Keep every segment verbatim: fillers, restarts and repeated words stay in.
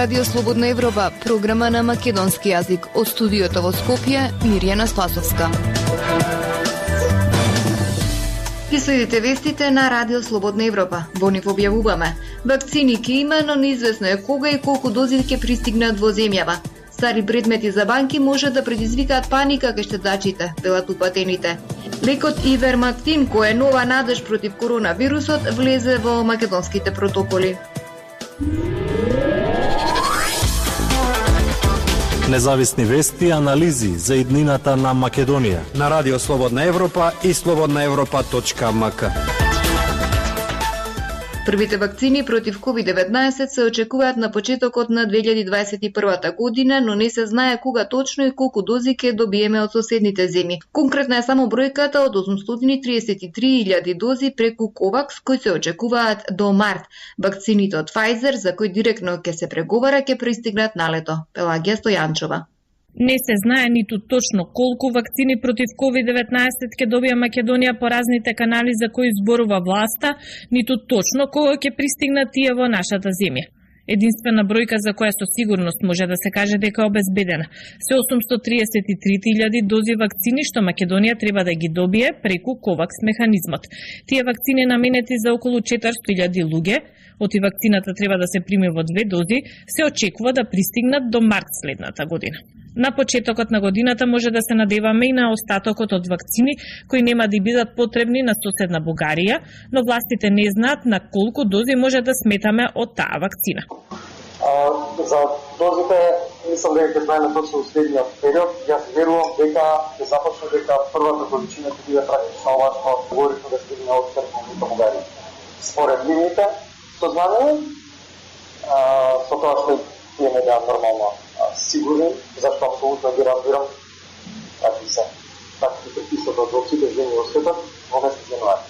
Радио Слободна Европа, програма на македонски јазик. Од студиото во Скопје, Мирјана Спасовска. Ги следите вестите на Радио Слободна Европа. Во нив објавуваме: вакцини ќе има, но неизвестно е кога и колку дози ќе пристигнат во земјава. Стари предмети за банки може да предизвикаат паника кај штедачите, велат упатените. Лекот Ивермектин, кој е нова надеж против коронавирусот, влезе во македонските протоколи. Независни вести и анализи за иднината на Македонија на Радио Слободна Европа и слободна европа точка ем ка. Првите вакцини против ковид деветнаесет се очекуваат на почетокот на две илјади дваесет и прва година, но не се знае кога точно и колку дози ќе добиеме од соседните земји. Конкретна е само бројката од осумстотини и триесет и три илјади дози преку Ковакс, кои се очекуваат до март. Вакцините од Pfizer, за кои директно ќе се преговара, ќе пристигнат налето. Пелагија Стојанчова. Не се знае ниту точно колку вакцини против ковид деветнаесет ќе добија Македонија по разните канали за кои зборува власта, ниту точно кога ќе пристигнат тие во нашата земја. Единствена бројка за која со сигурност може да се каже дека е обезбедена се осумстотини триесет и три илјади дози вакцини што Македонија треба да ги добие преку Ковакс механизмот. Тие вакцини наменети за околу четиристотини илјади луѓе, оти вакцината треба да се прими во две дози, се очекува да пристигнат до март следната година. На почетокот на годината може да се надеваме и на остатокот од вакцини кои нема да бидат потребни на соседна Бугарија, но властите не знаат на колку дози може да сметаме од таа вакцина. А, за дозите мислам дека ќе знаеме точно во следниот период. Јас верувам дека ќе започне дека првата количина ќе биде практично ова што говорихме да стигне од Република Бугарија. Според нивните сознание, со тоа што имаме да нормално сигурни, зашто апсолутно ги разбирам какви се такви преписот од сите земји во светот во месец јануари.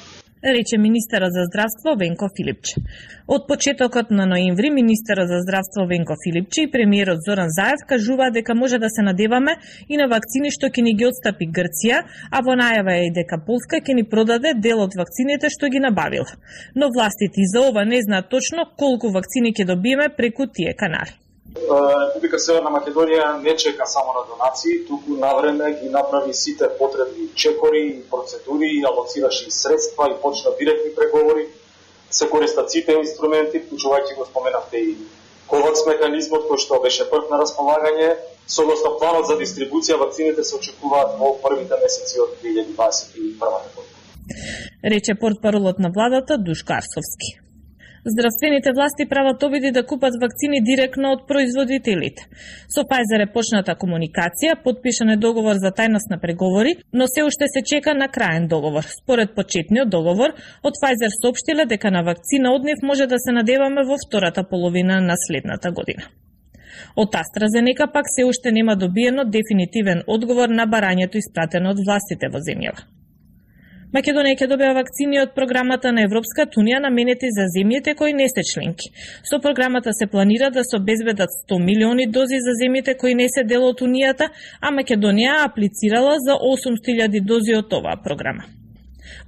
Рече министерот за здравство Венко Филипче. Од почетокот на ноември министерот за здравство Венко Филипче и премиерот Зоран Заев кажуваат дека може да се надеваме и на вакцини што ќе ни ги отстапи Грција, а во најава е и дека Полска ќе ни продаде дел од вакцините што ги набавила. Но властите и за ова не знаат точно колку вакцини ќе добиеме преку тие канали. Република Северна Македонија не чека само на донации, туку навреме ги направи сите потребни чекори и процедури, и алоцираше и средства и почна директни преговори. Се користат сите инструменти, вклучувајќи го споменавте и Ковакс механизмот кој што беше прв на располагање. Согласно планот за дистрибуција, вакцините се очекуваат во првите месеци од две илјади дваесет и прва година. Рече портпаролот на владата Душко Арсовски. Здравствените власти прават обиди да купат вакцини директно од производителите. Со Pfizer е почната комуникација, подпишан е договор за тајност на преговори, но се уште се чека на краен договор. Според почетниот договор, од Pfizer соопштиле дека на вакцина од нив може да се надеваме во втората половина на следната година. Од AstraZeneca пак се уште нема добиено дефинитивен одговор на барањето испратено од властите во земјава. Македонија ќе добива вакцини од програмата на Европската унија наменети за земјите кои не се членки. Со програмата се планира да се обезбедат сто милиони дози за земјите кои не се дел од Унијата, а Македонија аплицирала за осумстотини илјади дози од оваа програма.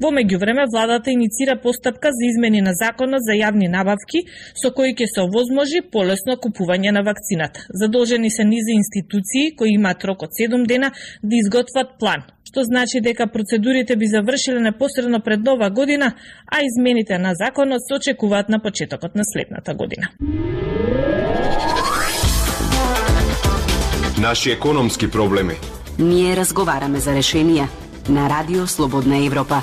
Во меѓувреме, владата иницира постапка за измени на законот за јавни набавки, со кои ќе се овозможи полесно купување на вакцината. Задолжени се низи институции кои имаат рок од седум дена да изготват план, што значи дека процедурите би завршиле непосредно пред нова година, а измените на законот се очекуваат на почетокот на следната година. Наши економски проблеми. Ние разговараме за решенија на Радио Слободна Европа.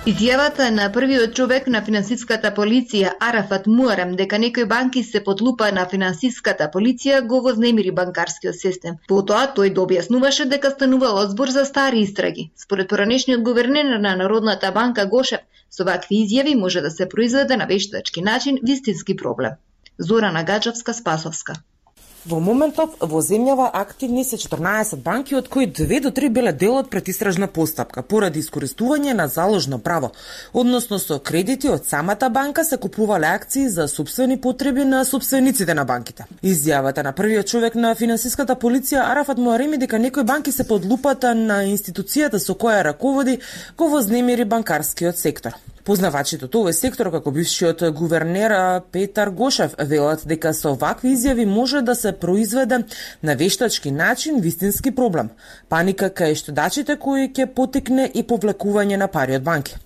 Изјавата на првиот човек на финансиската полиција Арафат Муарем дека некои банки се под лупа на финансиската полиција го вознемири банкарскиот систем. Потоа тој дообјаснуваше дека станувало збор за стари истраги. Според поранешниот гувернер на Народната банка Гошев, со вакви изјави може да се произведе на вештачки начин вистински проблем. Зорана Гаджевска, Спасовска. Во моментов во земјава активни се четрнаесет банки, од кои две до три биле дел од предистражна постапка поради искористување на заложно право, односно со кредити од самата банка се купувале акции за сопствени потреби на сопствениците на банките. Изјавата на првиот човек на финансиската полиција Арафат Муареми дека некои банки се под лупата на институцијата со која раководи го вознемири банкарскиот сектор. Познавачите од овој сектор, како бившиот гувернер Петар Гошев, велат дека со вакви изјави може да се произведе на вештачки начин вистински проблем. Паника кај штедачите кои ќе потекне и повлекување на пари од банки.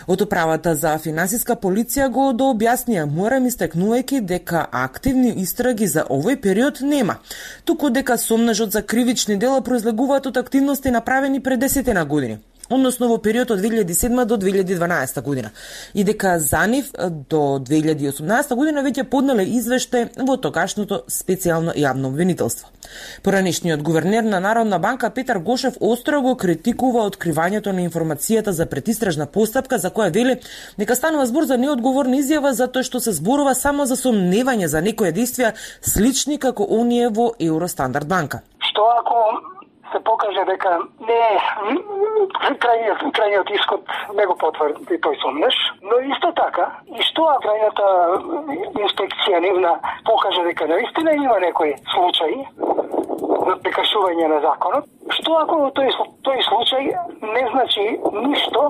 Од управата за финансиска полиција го дообјаснија, морам истекнувајќи дека активни истраги за овој период нема, туку дека сомнежот за кривични дела произлегуваат од активности направени пред десетина години, односно во период од две илјади и седма до две илјади и дванаесета година, и дека за нив до две илјади и осумнаесета година веќе поднеле извештај во тогашното специјално јавно обвинителство. Поранешниот гувернер на Народна банка Петар Гошев остро го критикува откривањето на информацијата за предистражна постапка, за која вели дека станува збор за неодговорна изјава затоа што се зборува само за сомневање за некои действија слични како оние во Евростандард банка. Што ако се покаже дека не крајниот, крајниот исход не го потврди тој сомнеш, но исто така, и што ако крајната инспекција нивна покаже дека наистина има некои случаи на прекршување на законот, што ако тој, тој случај не значи ништо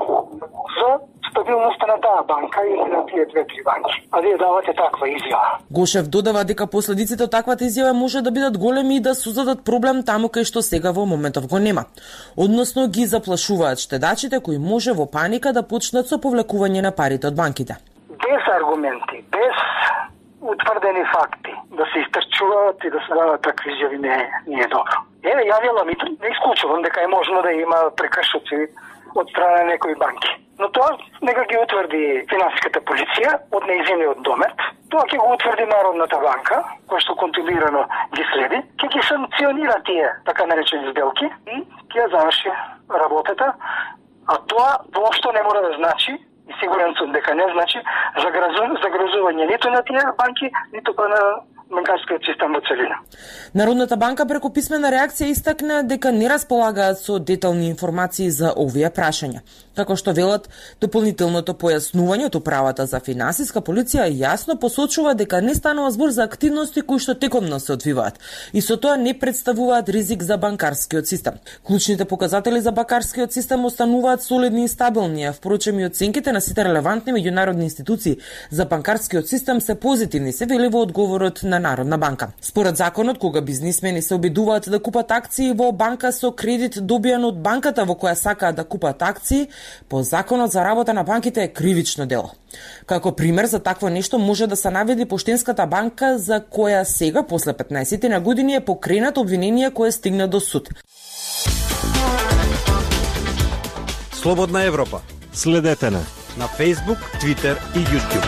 за стабилноста на таа банка или на тие две-три банки, а вие давате таква изјава. Гошев додава дека последиците од таквата изјава може да бидат големи и да создадат проблем таму кај што сега во моментов го нема. Односно ги заплашуваат штедачите кои може во паника да почнат со повлекување на парите од банките. Без аргументи, без утврдени факти, да се истрчуваат и да се дават такви изјави не, не е добро. Еве, ја велам и не исклучувам дека е можно да има прекршоци од страна на некои банки. Но тоа нека ги утврди финансиската полиција од нејзиниот домет. Тоа ќе го утврди Народната банка, која што контролирано ги следи, ќе ги санкционира тие така наречени сделки и ќе ја заврши работата. А тоа воопшто не мора да значи, и сигурен сум дека не значи, загрозување ниту на тие банки, ниту па на банкарскиот систем во целина. Народната банка преку писмена реакција истакна дека не располагаат со детални информации за овие прашања. Како што велат, дополнителното појаснување од управата за финансиска полиција јасно посочува дека не станува збор за активности кои што текомно се одвиваат и со тоа не представуваат ризик за банкарскиот систем. Клучните показатели за банкарскиот систем остануваат солидни и стабилни, а впрочем и оценките на сите релевантни меѓународни институции за банкарскиот систем се позитивни, се вели во одговорот на Народна банка. Според законот, кога бизнисмени се обидуваат да купат акции во банка со кредит добијан од банката во која сакаат да купат акции, по законот за работа на банките е кривично дело. Како пример за такво нешто може да се наведи Поштенската банка, за која сега, после петнаесет на години, е покренат обвинение кое стигна до суд. Слободна Европа. Следете на на Facebook, Twitter и YouTube.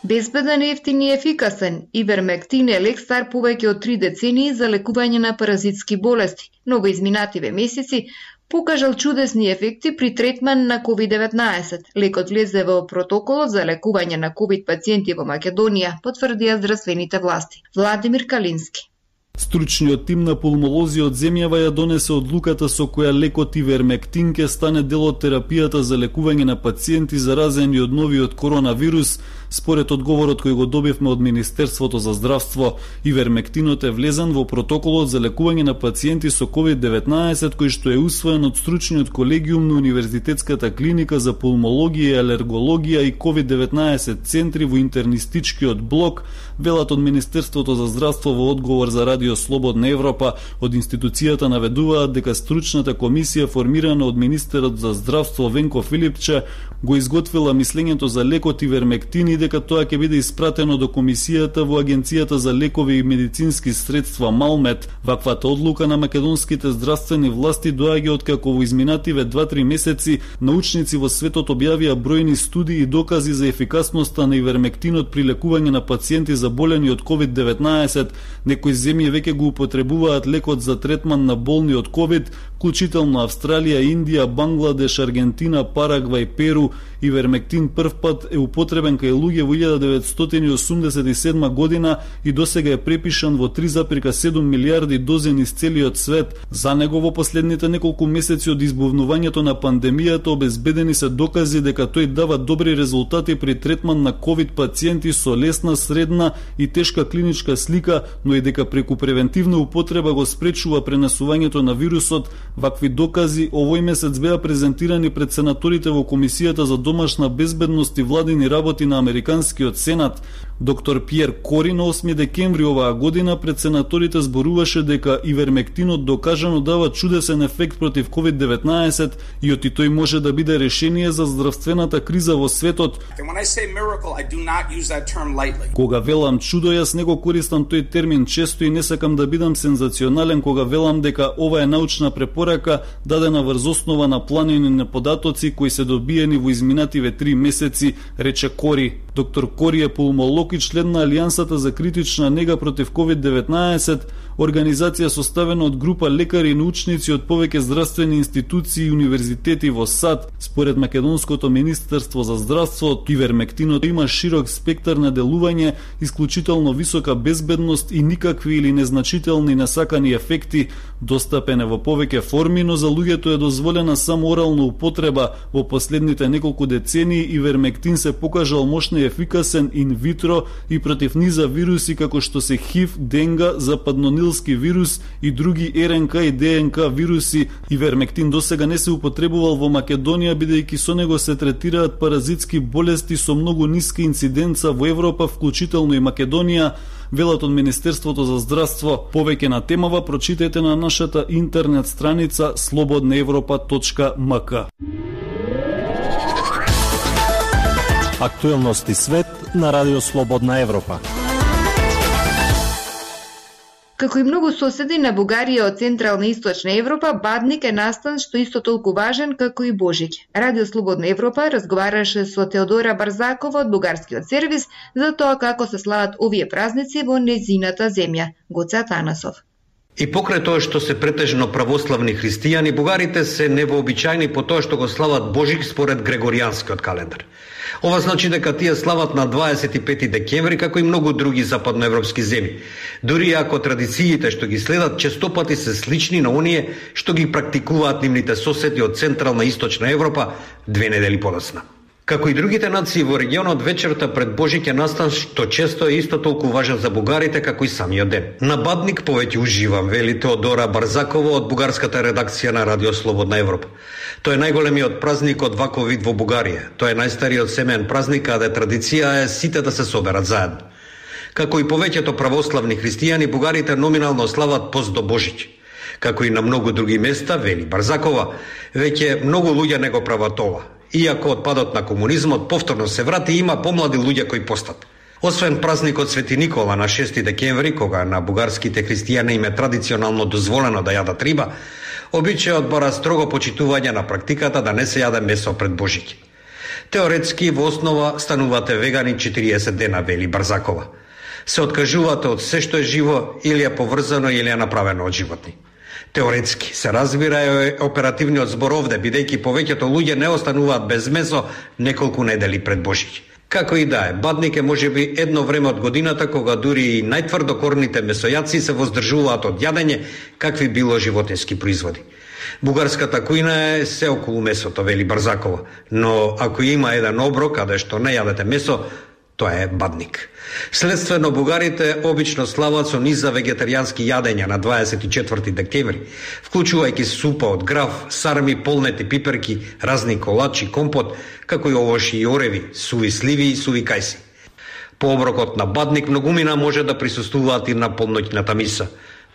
Безбеден, ефтин и ефикасен, Ивермектин е лек стар повеќе од три децении за лекување на паразитски болести, но во изминативе месеци покажал чудесни ефекти при третман на ковид деветнаесет. Лекот влезе во протоколот за лекување на ковид пациенти во Македонија, потврдија здравствените власти. Владимир Калински. Стручниот тим на пулмолози од земјава ја донесе одлуката со која лекот Ивермектин ке стане дел од терапијата за лекување на пациенти заразени од новиот коронавирус. Според одговорот кој го добивме од Министерството за здравство, Ивермектинот е влезан во протоколот за лекување на пациенти со ковид деветнаесет, кој што е усвоен од стручниот колегиум на Универзитетската клиника за пулмологија и алергологија и ковид деветнаесет центри во интернистичкиот блок, велат од Министерството за здравство во одговор за Радио Слободна Европа. Од институцијата наведуваат дека стручната комисија формирана од министерот за здравство Венко Филипче го изготвила мислењето за лекот Ивермектин и дека тоа ќе биде испратено до комисијата во Агенцијата за лекови и медицински средства Малмет. Ваквата одлука на македонските здравствени власти доаѓа откако во изминативе два-три месеци научници во светот објавија бројни студии и докази за ефикасноста на Ивермектинот при лекување на пациенти заболени од ковид деветнаесет. Некои земји веќе го употребуваат лекот за третман на болни од ковид, вклучително Австралија, Индија, Бангладеш, Аргентина, Парагвај, Перу. Ивермектин прв пат е употребен кај луѓе луѓе во илјада деветстотини осумдесет и седма година и досега е препишан во три зарез седум милијарди дози низ целиот свет. За него во последните неколку месеци од избувнувањето на пандемијата обезбедени се докази дека тој дава добри резултати при третман на ковид пациенти со лесна, средна и тешка клиничка слика, но и дека преку превентивна употреба го спречува пренесувањето на вирусот. Вакви докази овој месец беа презентирани пред сенаторите во Комисијата за домашна безбедност и владини работи на Американскиот сенат. Доктор Пиер Кори на осми декември оваа година пред сенаторите зборуваше дека ивермектинот докажано дава чудесен ефект против ковид деветнаесет и оти тој може да биде решение за здравствената криза во светот. Кога велам чудо, јас не го користам тој термин често и не сакам да бидам сензационален кога велам дека ова е научна препорака дадена врз основа на планини на податоци кои се добиени во изминативе три месеци, рече Кори. Доктор Кори е пулмолог и член на Алијансата за критична нега против ковид деветнаесет, организација составена од група лекари и научници од повеќе здравствени институции и универзитети во САД. Според Македонското министерство за здравство, ивермектинот има широк спектар на делување, исклучително висока безбедност и никакви или незначителни несакани ефекти. Достапен е во повеќе форми, но за луѓето е дозволена само орална употреба. Во последните неколку децении ивермектин се покажал мощно и ефикасен инвитро и против низа вируси како што се ХИВ, денга, западнонилски вирус и други РНК и ДНК вируси. Ивермектин досега не се употребувал во Македонија, бидејќи со него се третираат паразитски болести со многу ниска инциденца во Европа, вклучително и Македонија, велат од Министерството за здравство. Повеќе на темава прочитајте на нашата интернет страница слободна европа точка ем ка. Актуелности свет на Радио Слободна Европа. Како и многу соседи на Бугарија од Централна и Источна Европа, Бадник е настан што исто толку важен како и Божиќ. Радио Слободна Европа разговараше со Теодора Барзакова од Бугарскиот сервис за тоа како се слават овие празници во незината земја. Гоце Атанасов. И покрај тоа што се претежно православни христијани, бугарите се невообичајни по тоа што го слават Божик според Грегоријанскиот календар. Ова значи дека тие слават на дваесет и пети декември како и многу други западноевропски земји. Дури ако традициите што ги следат честопати се слични на оние што ги практикуваат нивните соседи од Централна и Источна Европа две недели подоцна. Како и другите нации во регионот, вечерта пред Божиќ е настан што често е исто толку важен за бугарите како и самиот ден. На Бадник повеќе уживам, вели Теодора Барзакова од бугарската редакција на Радио Слободна Европа. Тој е најголемиот празник од ваков вид во Бугарија. Тој е најстариот семеен празник, каде традиција е сите да се соберат заедно. Како и повеќето православни христијани, бугарите номинално слават пост до Божиќ. Како и на многу други места, вели Барзакова, веќе многу луѓе не го прават ова. Иако од падот на комунизмот повторно се врати, има помлади луѓе кои постат. Освен празникот Свети Никола на шести декември, кога на бугарските христијани им е традиционално дозволено да јадат риба, обичајот бара строго почитување на практиката да не се јаде месо пред Божиќ. Теоретски во основа станувате вегани четириесет дена, вели Барзакова. Се откажувате од се што е живо или е поврзано или е направено од животни. Теоретски се разбира е оперативниот збор овде, бидејќи повеќето луѓе не остануваат без месо неколку недели пред Божиќ. Како и да е, Бадник е можеби едно време од годината кога дури и најтврдокорните месојаци се воздржуваат од јадење какви било животински производи. Бугарската кујна е се околу месото, вели Барзакова, но ако има еден оброк каде што не јадете месо, тоа е Бадник. Следствено, бугарите обично слават со низа вегетаријански јадења на дваесет и четврти декември, вклучувајќи супа од граф, сарми, полнети пиперки, разни колачи, компот, како и овоши и ореви, суви сливи и суви кајси. По оброкот на Бадник многумина може да присуствуваат и на полноќната миса.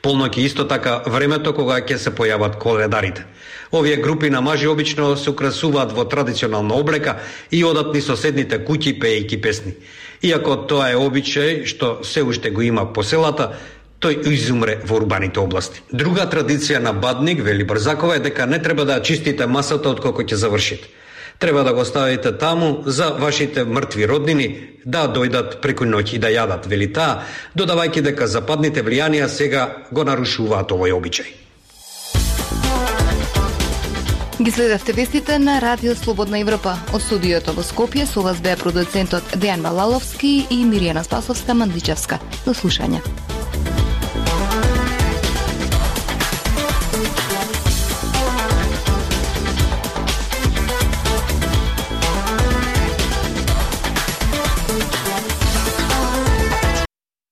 Полноќ исто така времето кога ќе се појават коледарите. Овие групи на мажи обично се украсуваат во традиционална облека и одат низ соседните куќи пеејќи песни. Иако тоа е обичај што се уште го има по селата, тој изумре во урбаните области. Друга традиција на Бадник, вели Барзакова, е дека не треба да чистите масата откако ќе завршите. Треба да го ставите таму за вашите мртви роднини да дојдат преку ноќ и да јадат, вели таа, додавајќи дека западните влијанија сега го нарушуваат овој обичај. Ги следевте вестите на Радио Слободна Европа. Од студиото во Скопје со вас беа продуцентот Дејан Балаловски и Миријана Спасовска Мандличевска. До слушање.